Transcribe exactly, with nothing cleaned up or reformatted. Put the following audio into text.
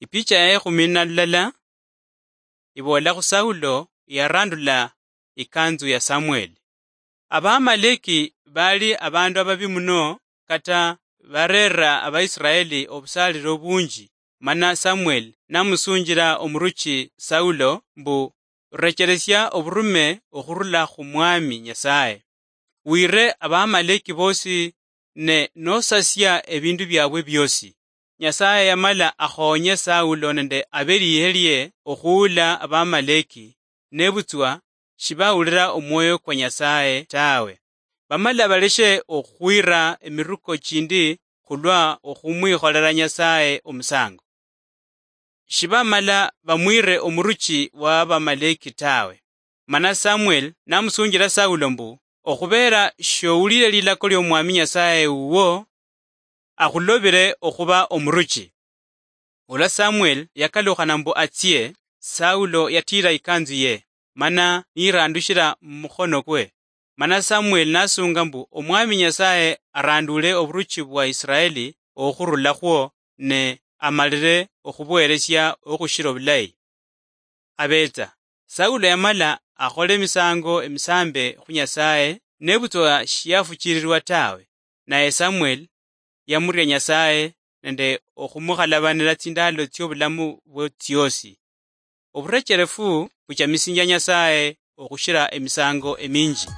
Ipicha ya ekhumi na lulala iboolakho Saulo yarandula ikanzu ya Samuel. Abaamaleki baali abaandu ababi muno, kata bareera Abaisiraeli obusaaliro obunji, mana Samuel namusunjira omuruchi Saulo mbu, "Recheresia oburume okhurula khu Mwami Nyasaye. Wire Abaamaleki boosi ne nosasia ebindu biabwe biosi." Nyasaye yamala akhoonye Saulo nende abelihelie okhuula Abaamaleki, nebutswa shibawulira omwoyo kwa Nyasaye tawe. Bamala baleshe okhwira emiruko chindi khulwa okhumwikholera Nyasaye omusango. Shibamala bamwire omuruchi wa Abamaleki tawe. Mana Samuel namusunjira Saulo mbu, "Okhubeera showulire lilako lyo Mwami Nyasaye wuwo, akhulobire okhuba omuruchi." Olwa Samuel yakalukhana mbu atsie, Saulo yatiira ikanzu ye, mana niyirandushira mumukhono kwe. Mana Samuel nasunga mbu Omwami Nyasaye aranduule oburuchi bwa Israeli okhurulakhwo, ne amalire okhubuheresia okhushira obulayi. Abetsa, Saulo yamala akhola emisango emisambe khu Nyasaye, nebutswa shiyafuchirirwa tawe, naye Samuel yamuria Nyasaye nende okhumukhalabanira tsindalo tsiobulamu bwe tsiosi. Oburecherefu buchamisinjia Nyasaye okhushira emisango eminji.